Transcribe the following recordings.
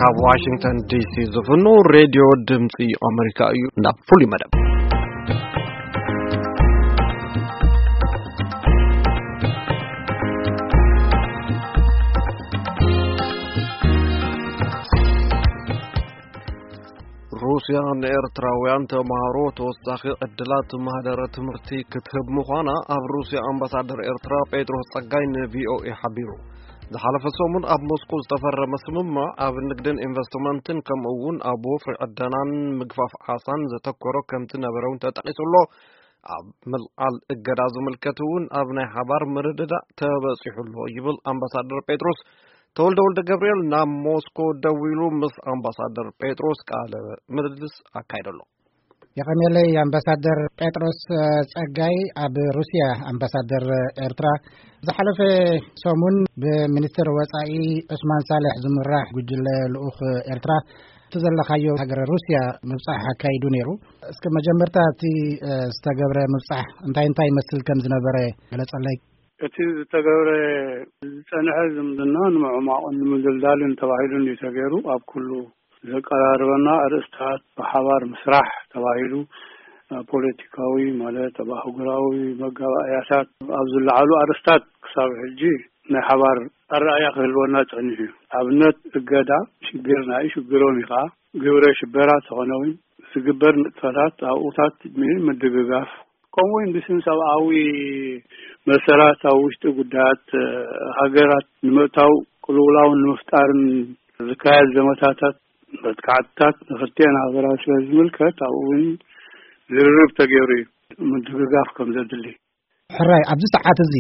ካብ ዋሽንግተን ዲሲ ዝፍኖ ሬድዮ ድምፂ ኣሜሪካ እዩ። ናብ ፍሉይ መደብ። ሩስያ ንኤርትራውያን ተምሃሮ ተወሳኺ ዕድላት ማህደረ ትምህርቲ ክትህብ ምዃና ኣብ ሩስያ ኣምባሳደር ኤርትራ ጴጥሮስ ጸጋይ ንቪኦኤ ሓቢሩ። ዝሓለፈ ሰሙን ኣብ ሞስኮ ዝተፈረመ ስምምዕ ኣብ ንግድን ኢንቨስትመንትን ከምኡ እውን ኣብ ወፍሪ ዕደናን ምግፋፍ ዓሳን ዘተኮረ ከምቲ ነበረ እውን ተጠቒሱ ኣሎ። ኣብ ምልዓል እገዳ ዝምልከት እውን ኣብ ናይ ሓባር ምርድዳእ ተበጺሑ ኣሎ ይብል ኣምባሳደር ጴጥሮስ። ተወልደ ወልደ ገብርኤል ናብ ሞስኮ ደዊሉ ምስ ኣምባሳደር ጴጥሮስ ቃለ ምልልስ ኣካይዱ ኣሎ። የቐንየለይ ኣምባሳደር ጴጥሮስ፣ እ፣ ጸጋይ ኣብ ሩስያ ኣምባሳደር ኤርትራ። ዝሓለፈ ሰሙን ብሚኒስትር ወጻኢ ዑስማን ሳልሕ ዝምራሕ ጉጅለ ልኡኽ ኤርትራ እቲ ዘለኻዮ ሃገረ ሩስያ ምብጻሕ ኣካይዱ ነይሩ። እስከ መጀመርታ እቲ፣ እ፣ ዝተገብረ ምብጻሕ እንታይ እንታይ ይመስል ከም ዝነበረ ገለጸለይ። እቲ ዝተገብረ ዝጸንሐ ዝምድና ንምዕማቕን ንምድልዳልን ተባሂሉ እንድዩ ተገይሩ። ኣብ ኩሉ ዘቀራርበና ኣርእስታት ብሓባር ምስራሕ ተባሂሉ፣ ኣብ ፖለቲካዊ ማለት ኣብ ኣህጉራዊ መጋባእያታት ኣብ ዝለዓሉ ኣርእስታት ክሳብ ሕጂ ናይ ሓባር ኣረኣእያ ክህልወና ጸኒሑ እዩ። ኣብነት እገዳ ሽግርና እዩ፣ ሽግሮም እዩ ከዓ ግብረ ሽበራ ተኾነ እውን ዝግበር ንጥፈታት ኣብኡታት ምድግጋፍ ከምኡ እውን ብስም ሰብኣዊ መሰላት ኣብ ውሽጢ ጉዳያት፣ እ፣ ሃገራት ንምእታው ቅልውላውን ንምፍጣርን ዝካየድ ዘመታታት መጥቃዕትታት ንክልቲአን ሃገራት ስለ ዝምልከት ኣብኡ እውን ዝርርብ ተገይሩ እዩ ምድግጋፍ ከም ዘድሊ። ሕራይ፣ ኣብዚ ሰዓት እዚ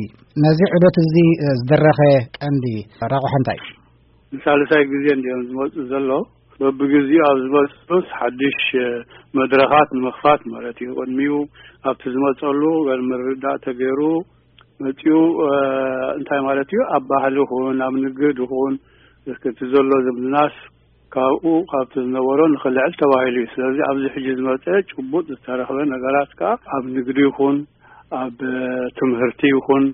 ነዚ ዑደት እዚ፣ እ፣ ዝደረኸ ቀንዲ ረቑሐ እንታይ እዩ? ንሳልሳይ ግዜ እንዲኦም ዝመፁ ዘሎ። በብግዜኡ ኣብ ዝመፁስ ሓድሽ፣ እ፣ መድረኻት ንምኽፋት ማለት እዩ። ቅድሚኡ ኣብቲ ዝመፀሉ ገለ ምርድዳእ ተገይሩ መፂኡ፣ እ፣ እንታይ ማለት እዩ? ኣብ ባህሊ ይኹን ኣብ ንግድ ይኹን እስኪ እቲ ዘሎ ዝምድናስ ካብኡ ካብቲ ዝነበሮ ንኽልዕል ተባሂሉ እዩ። ስለዚ ኣብዚ ሕጂ ዝመፀ ጭቡጥ ዝተረኽበ ነገራት ከዓ ኣብ ንግዲ ይኹን ኣብ ትምህርቲ ይኹን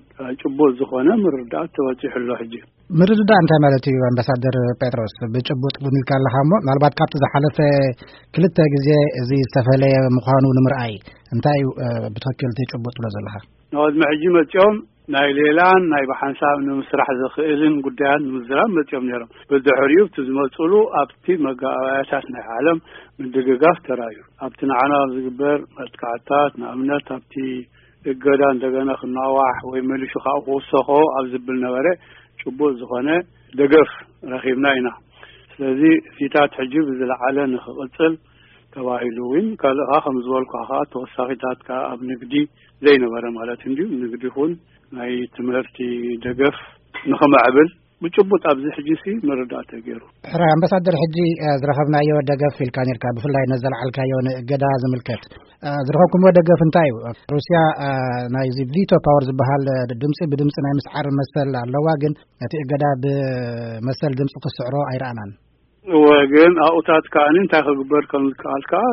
ጭቡጥ ዝኾነ ምርዳእ ተበፂሑ ኣሎ። ሕጂ ምርድዳእ እንታይ ማለት እዩ? ኣምባሳደር ጴጥሮስ፣ ብጭቡጥ እውን ኢልካ ኣለኻ እሞ፣ ምናልባት ካብቲ ዝሓለፈ ክልተ ግዜ እዚ ዝተፈለየ ምዃኑ ንምርኣይ እንታይ እዩ፣ እ፣ ብትኽክል እቲ ጭቡጥ ትብሎ ዘለኻ? ንቕድሚ ሕጂ መፂኦም ናይ ሌላን ናይ ብሓንሳብ ንምስራሕ ዘኽእልን ጉዳያት ንምዝራብ መፂኦም ነይሮም። ብድሕሪኡ እቲ ዝመፅሉ ኣብቲ መጋባእያታት ናይ ዓለም ምድግጋፍ ተራእዩ። ኣብቲ ንዓና ኣብ ዝግበር መጥቃዕትታት፣ ንኣብነት ኣብቲ እገዳ እንደገና ክናዋሕ ወይ መሊሱ ካብኡ ክውሰኾ ኣብ ዝብል ነበረ፣ ጭቡጥ ዝኾነ ደገፍ ረኺብና ኢና። ስለዚ እዚታት ሕጂ ብዝለዓለ ንኽቕፅል ተባሂሉ እውን ካልእ ኸዓ ከም ዝበልኩ ኸዓ ተወሳኺታት ከኣ ኣብ ንግዲ ዘይነበረ ማለት እንድዩ። ንግዲ ይኹን ናይ ትምህርቲ ደገፍ ንኽምዕብል ብጭቡጥ ኣብዚ ሕጂ ሲ ምርዳእ ተገይሩ። ሕራይ ኣምባሳደር፣ ሕጂ፣ እ፣ ዝረኸብናዮ ደገፍ ኢልካ ነርካ፣ ብፍላይ ነዘለዓልካዮ ንእገዳ ዝምልከት፣ እ፣ ዝረኸብኩምዎ ደገፍ እንታይ እዩ? ሩስያ፣ እ፣ ናይዚ ቪቶ ፓወር ዝበሃል፣ እ፣ ድምፂ ብድምፂ ናይ ምስዓር መሰል ኣለዋ፣ ግን ነቲ እገዳ ብመሰል ድምፂ ክስዕሮ ኣይረኣናን። እወ፣ ግን ኣብኡታት ከኣ እንታይ ክግበር ከም ዝከኣል ከኣ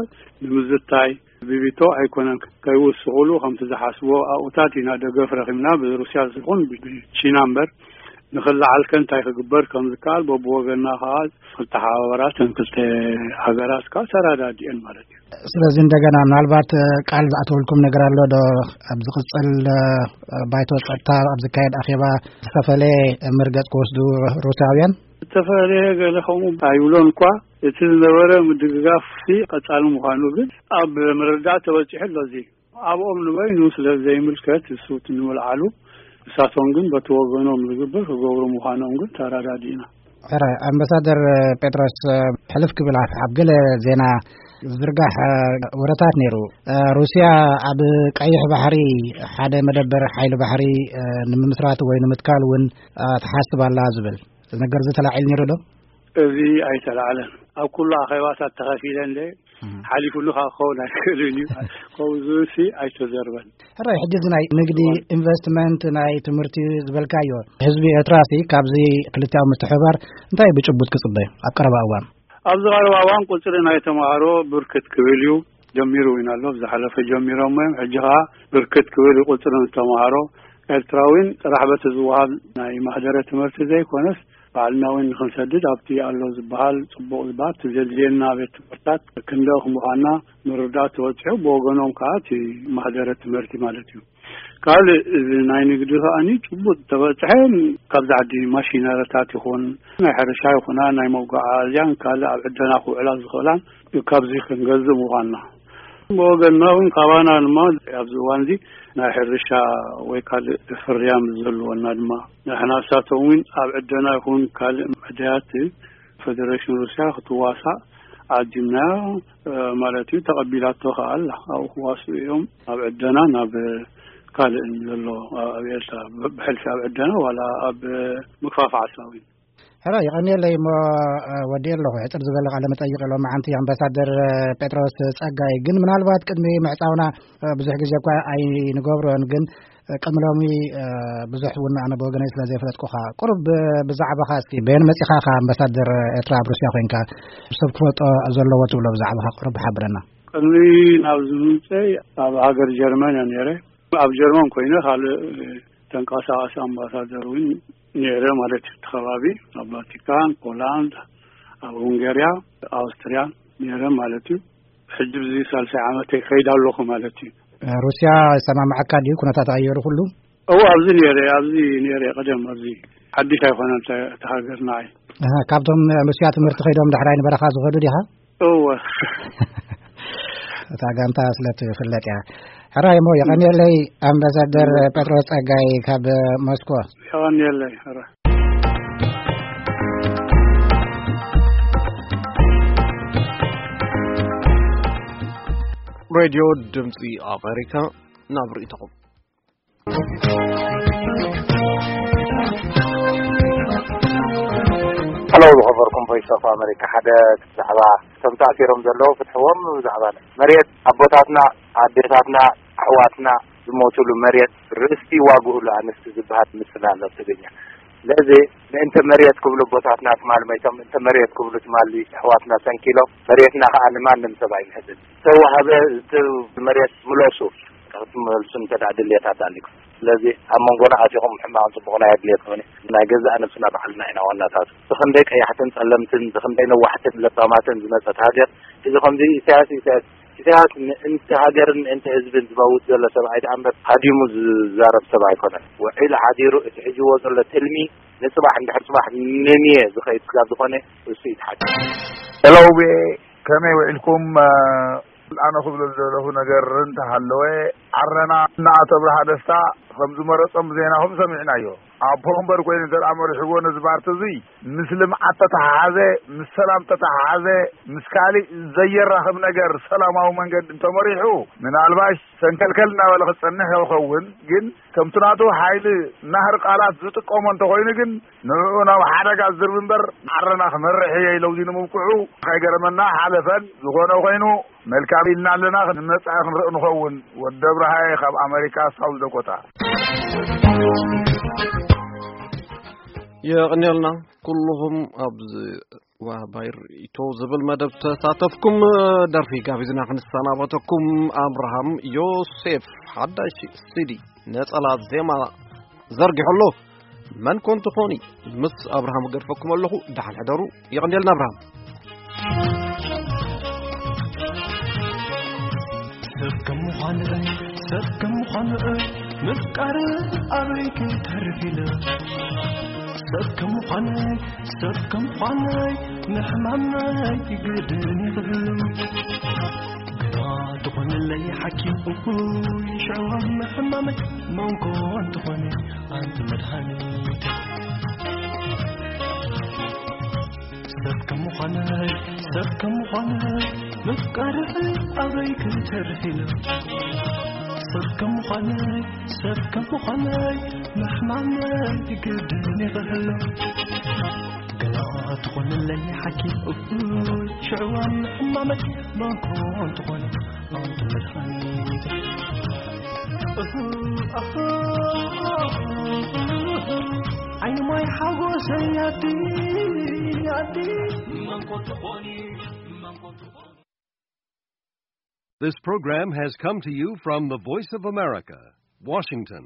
ንምዝታይ ብቪቶ ኣይኮነን ከይውስኹሉ ከምቲ ዝሓስቦ ኣብኡታት ኢና ደገፍ ረኺብና፣ ብሩስያ ይኹን ብቺና እምበር። ንኽለዓል ከ እንታይ ክግበር ከም ዝከኣል በብወገንና ከኣ ክተሓባበራ እተን ክልተ ሃገራት ከኣ ተረዳዲኤን ማለት እዩ። ስለዚ እንደገና ምናልባት፣ እ፣ ቃል ዝኣተወልኩም ነገር ኣሎ ዶ? ኣብ ዝቕጽል፣ እ፣ ባይቶ ጸጥታ ኣብ ዝካየድ ኣኼባ ዝተፈለየ መርገጽ ክወስዱ ሩስያውያን? ዝተፈለየ ገለ ከምኡ ኣይብሎን እኳ፣ እቲ ዝነበረ ምድግጋፍ ሲ ቀጻሊ ምዃኑ ግን ኣብ ምርዳእ ተበጺሑ ኣሎ። እዚ ኣብኦም ንበይኑ ስለ ዘይምልከት እሱ እቲ ንምልዓሉ፣ ንሳቶም ግን በቲ ወገኖም ዝግበር ክገብሩ ምዃኖም ግን ተረዳዲእና። ሕረ ኣምባሳደር ጴጥሮስ፣ ሕልፍ ክብል ኣብ፣ ኣብ ገለ ዜና ዝርጋሕ ወረታት ነይሩ። ሩስያ ኣብ ቀይሕ ባሕሪ ሓደ መደበር ሓይሊ ባሕሪ ንምምስራት ወይ ንምትካል እውን ትሓስብ ኣላ ዝብል ነገር ዝተላዒል ነይሩ ዶ? እዚ ኣይተላዕለን። ኣብ ኩሉ ኣኼባታት ተኸፊለ እንደ እም። ሓሊፉሉ ካብ ክኸውን ኣይክእልን እዩ። ከምኡ ዝብል ሲ ኣይተዘርበን። ሕራይ፣ ሕጂ እዚ ናይ ንግዲ፣ እዋን። ኢንቨስትመንት፣ ናይ ትምህርቲ ዝበልካዮ፣ ህዝቢ ኤርትራ ሲ ካብዚ ክልቲኣዊ ምትሕብባር እንታይ ብጭቡጥ ክጽበ ኣብ ቀረባ እዋን? ኣብዚ ቀረባ እዋን ቁጽሪ ናይ ተማሃሮ ብርክት ክብል እዩ። ጀሚሩ እውን ኣሎ፣ ብዝሓለፈ ጀሚሮሞ እዮም። ሕጂ ኸኣ ብርክት ክብል እዩ ቁጽሪ ተማሃሮ ኤርትራዊን ጥራሕ በቲ ዝወሃብ ናይ ማህደረ ትምህርቲ ዘይኮነስ ባዕልና እውን ንኽንሰድድ ኣብቲ ኣሎ ዝበሃል ጽቡቕ ዝበሃል እቲ ዘድልየና ቤት ትምህርታት ክንደኽ ምዃንና ምርዳእ ተበጺሑ፣ ብወገኖም ከኣ እቲ ማህደረ ትምህርቲ ማለት እዩ። ካልእ እዚ ናይ ንግዲ ከኣኒ ጭቡጥ ተበጽሐ፣ ካብዚ ዓዲ ማሽነሪታት ይኹን ናይ ሕርሻ ይኹና ናይ መጓዓዝያን ካልእ ኣብ ዕደና ክውዕላ ዝኽእላን ካብዚ ክንገዝእ ምዃንና። ብወገንና እውን ካባና ድማ ኣብዚ እዋን እዚ ናይ ሕርሻ ወይ ካልእ ፍርያም ዘለወና ድማ ንሕና ንሳቶም እውን ኣብ ዕደና ይኹን ካልእ መዳያት ፈደረሽን ሩስያ ክትዋሳእ ዓዲምናዮ፣ እ፣ ማለት እዩ። ተቐቢላቶ ከኣ ኣላ። ኣብኡ ክዋስኡ እዮም። ኣብ ዕደና ናብ ካልእን ዘሎ ኣብ ኤርትራ ብ-፣ ብሕልፊ ኣብ ዕደና ዋላ ኣብ ምግፋፍ ዓሳዊን። ሕራይ፣ የቐንየለይ እሞ፣ እ፣ ወዲኤ ኣለኹ። ሕጽር ዝበለ ቃለ መጠይቕ ሎማዓንቲ ኣምባሳደር ጴጥሮስ ጸጋይ። ግን ምናልባት ቅድሚ ምዕጻውና፣ እ፣ ብዙሕ ግዜ እኳ ኣይንገብሮን፣ ግን ቅድሚ ሎሚ፣ እ፣ ብዙሕ እውን ኣነ ብወገነይ ስለ ዘይፈለጥኩኻ፣ ቁሩብ ብ-፣ ብዛዕባኻ እስቲ፣ በየን መጺኻ ኢኻ ኣምባሳደር ኤርትራ ኣብ ሩስያ ኮይንካ፣ ሰብ ክፈልጦ ዘለዎ ትብሎ ብዛዕባኻ ቁሩብ ሓብረና። ቅድሚ ናብዚ ምምጸይ ኣብ ሃገር ጀርመን እየ ነይረ። ኣብ ጀርመን ኮይነ ካልእ ተንቀሳቓሲ ኣምባሳደር እውን ነይረ ማለት እዩ። እቲ ከባቢ ኣብ ቫቲካን፣ ፖላንድ፣ ኣብ ሁንጋርያ፣ ኣውስትርያ ነይረ ማለት እዩ። ሕጂ ብዚ ሳልሳይ ዓመተይ ከይድ ኣለኹ ማለት እዩ። ሩስያ ይሰማምዓካ ድዩ? ኩነታት ኣየሩ ኩሉ? እዎ፣ ኣብዚ ነይረ፣ ኣብዚ ነይረ ቀደም፣ ኣብዚ ሓድሽ ኣይኮነን፣ እታ፣ እታ ሃገር ንዓይ። ኣሃ፣ ካብቶም ሩስያ ትምህርቲ ከይዶም ዳሕራይ ንበረኻ ዝኸዱ ዲኻ? እዎ። እታ ጋንታ ስለ ትፍለጥ እያ። ሕራይ እሞ፣ የቐንየለይ ኣምባሳደር ጴጥሮስ ጸጋይ ካብ ሞስኮ። የቐንየለይ፣ ሕራይ። ሬድዮ ድምፂ ኣሜሪካ፣ ናብ ርእይቶኹም። ሄሎ፣ ዝኸበርኩም ቮይስ ኦፍ ኣሜሪካ፣ ሓደ ዛዕባ እቶም ተኣሲሮም ዘለዉ ፍትሕዎም። ብዛዕባ መሬት ኣቦታትና፣ ኣዴታትና፣ ኣሕዋትና ዝሞቱሉ መሬት ርስቲ ዋግኡ ለኣንስቲ ዝበሃል ምስላ ኣሎ ኣብ ትግርኛ። ስለዚ ምእንተ መሬት ክብሉ ኣቦታትና ትማል መይቶም፣ ምእንተ መሬት ክብሉ ትማል ኣሕዋትና ሰንኪሎም፣ መሬትና ከኣ ንማንም ሰብ ኣይንህብን። ዝተዋህበ፣ እቲ መሬት ምለሱ፣ ክትመልሱ እንተ ደኣ ድልየታት ኣሊኩም። ስለዚ ኣብ መንጎና ኣቲኹም ሕማቕን ጽቡቕን ኣየድልየኩምን። ናይ ገዛእ ነብስና ባዕልና ኢና ዋናታቱ። ብኽንደይ ቀያሕትን ጸለምትን፣ ብኽንደይ ነዋሕትን ለባማትን ዝመጸት ሃገር፣ እዚ ከምዚ ኢሳያስ፣ ኢሳያስ፣ ኢሳያስ ምእንቲ ሃገርን ምእንቲ ህዝብን ዝመውት ዘሎ ሰብኣይ ደኣ እምበር ሃዲሙ ዝዛረብ ሰብ ኣይኮነን። ውዒሉ ሓዲሩ እቲ ሒዝዎ ዘሎ ትልሚ ንጽባሕ፣ እንድሕር ጽባሕ ንንየ ዝኸይድ ስጋብ ዝኾነ፣ እሱ ይትሓድ። ሄሎ፣ ቪኦኤ፣ ከመይ ውዒልኩም? ኣነ ክብሎ ዝደለኹ ነገር እንተሃለወ፣ ዓረና ንኣቶ ኣብርሃ ደስታ ከም ዝመረጾም ብዜናኹም ሰሚዕናዮ። ኣብ ፎንበር ኮይኑ እንተ ደኣ መሪሕዎ ነዚ ፓርቲ እዚ፣ ምስ ልምዓት ተተሓሓዘ፣ ምስ ሰላም ተተሓሓዘ፣ ምስ ካልእ ዘየራኽብ ነገር ሰላማዊ መንገዲ እንተመሪሑ፣ ምናልባሽ ሰንከልከል እናበለ ክጸንሕ ይኸውን። ግን ከምቲ ናቱ ሓይሊ ናህሪ ቃላት ዝጥቀሞ እንተኾይኑ ግን፣ ንዕኡ ናብ ሓደጋ ዝድርቢ እምበር፣ ዓረና ክመርሕ እየ ኢለው እዚ ንምብቅዑ ከይገረመና ሓለፈን። ዝኾነ ኮይኑ፣ መልካም ኢልና ኣለና፣ ንመጻኢ ክንርኢ ንኸውን። ወዲ ኣብርሃየ ካብ ኣመሪካ፣ ሳውዝ ዳኮታ። የቐንየልና ኩልኹም ኣብዚ ዋባይ ርእይቶ ዝብል መደብ ተሳተፍኩም። ደርፊ ጋቢዝና ክንሰናበተኩም፣ ኣብርሃም ዮሴፍ ሓዳሽ ሲዲ ነጸላ ዜማ ዘርጊሑ ኣሎ። መን ኮን ትኾኒ? ምስ ኣብርሃም እገድፈኩም ኣለኹ። ደሓን ሕደሩ። የቐንየልና ኣብርሃም። ሰብ ከም ምዃን'ይ፣ ሰብ ከም ምዃን'ይ፣ ምፍቃር ኣበይ ክተርፍ ኢለ። ሰብ ከም ምዃን'ይ፣ ሰብ ከም ምዃን'ይ፣ ምሕማም ናይ ግድን ይኽእል። ግና ትኾነለይ ሓኪም እኩይ፣ ሽዕዋ ምሕማመይ፣ መንኮ እንትኾነ ኣንቲ መድሃኒት። ሰብ ከም ምዃነይ፣ ሰብ ከም ምዃነይ፣ ምፍቃርኺ ኣበይ ክተርፍ ኢሉ። ሰብ ከም ምዃነይ፣ ሰብ ከም ምዃነይ፣ ምሕማመይ ግድን ይኽህሎ። ግና ትኾንለይ ሓኪም እኩል፣ ሽዕዋ ምሕማመይ መንኮ እንትኾነ ኣንቲ መድሃኒት። እህ፣ ኣህ፣ ዓይኒ ማይ ሓጎሰይ ኣቲ፣ ኣቲ፣ መንኮ ትኾኒ፣ መንኮ ትኾኒ። This program has come to you from the Voice of America, Washington.